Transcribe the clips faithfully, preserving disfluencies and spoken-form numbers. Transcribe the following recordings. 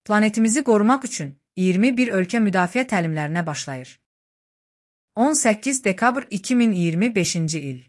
Planetimizi qorumaq üçün iyirmi bir ölkə müdafiə təlimlərinə başlayır. on səkkiz dekabr iki min iyirmi beşinci il.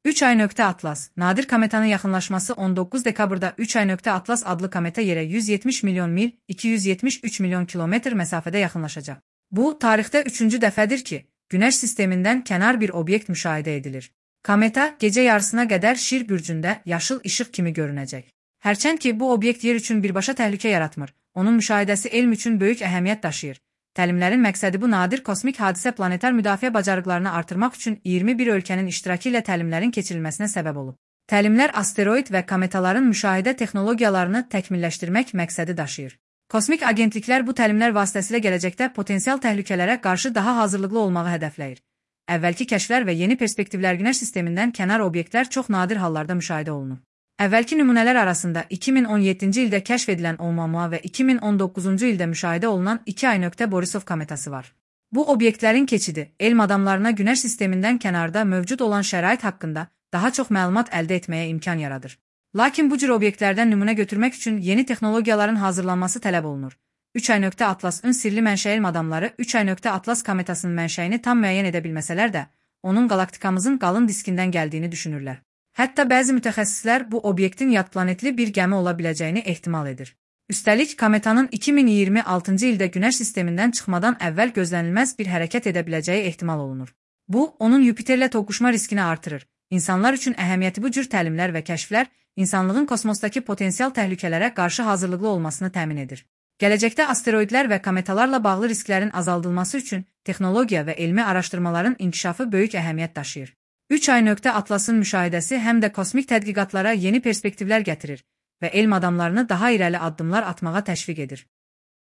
üç ay. Atlas, nadir kometanın yaxınlaşması on doqquz dekabrda üç ay. Atlas adlı kometa yerə yüz yetmiş milyon mil, iki yüz yetmiş üç milyon kilometr məsafədə yaxınlaşacaq. Bu, tarixdə üçüncü dəfədir ki, Günəş sistemindən kənar bir obyekt müşahidə edilir. Kometa, gecə yarısına qədər Şir bürcündə yaşıl işıq kimi görünəcək. Hərçənd ki, bu obyekt yer üçün birbaşa təhlükə yaratmır, onun müşahidəsi elm üçün böyük əhəmiyyət daşıyır. Təlimlərin məqsədi bu nadir kosmik hadisə planetar müdafiə bacarıqlarını artırmaq üçün iyirmi bir ölkənin iştirakı ilə təlimlərin keçirilməsinə səbəb olub. Təlimlər asteroid və kometaların müşahidə texnologiyalarını təkmilləşdirmək məqsədi daşıyır. Kosmik agentliklər bu təlimlər vasitəsilə gələcəkdə potensial təhlükələrə qarşı daha hazırlıqlı olmağı hədəfləyir. Əvvəlki kəşflər və yeni perspektivlər Günəş sistemindən kənar obyektlər çox nadir hallarda müşahidə olunur. Əvvəlki nümunələr arasında iki min on yeddinci ildə kəşf edilən Oumuamua və iki min on doqquzuncu ildə müşahidə olunan iki ay. Borisov kometası var. Bu obyektlərin keçidi, elm adamlarına Günəş sistemindən kənarda mövcud olan şərait haqqında daha çox məlumat əldə etməyə imkan yaradır. Lakin bu cür obyektlərdən nümunə götürmək üçün yeni texnologiyaların hazırlanması tələb olunur. üç ay. Atlas'ın sirli mənşə elm adamları üç ay. Atlas kometasının mənşəyini tam müəyyən edə bilməsələr də, onun qalaktikamızın qalın diskindən gəldiyini düşünürlər. Hətta bəzi mütəxəssislər bu obyektin yad planetli bir gəmi ola biləcəyini ehtimal edir. Üstəlik, kometanın iki min iyirmi altıncı ildə Günəş sistemindən çıxmadan əvvəl gözlənilməz bir hərəkət edə biləcəyi ehtimal olunur. Bu, onun Yupiterlə toqquşma riskini artırır. İnsanlar üçün əhəmiyyəti bu cür təlimlər və kəşflər, insanlığın kosmosdakı potensial təhlükələrə qarşı hazırlıqlı olmasını təmin edir. Gələcəkdə asteroidlər və kometalarla bağlı risklərin azaldılması üçün texnologiya və elmi araşdırmaların inkişafı böyük əhəmiyyət daşıyır. üç ay. Atlas'ın müşahidəsi həm də kosmik tədqiqatlara yeni perspektivlər gətirir və elm adamlarını daha irəli addımlar atmağa təşviq edir.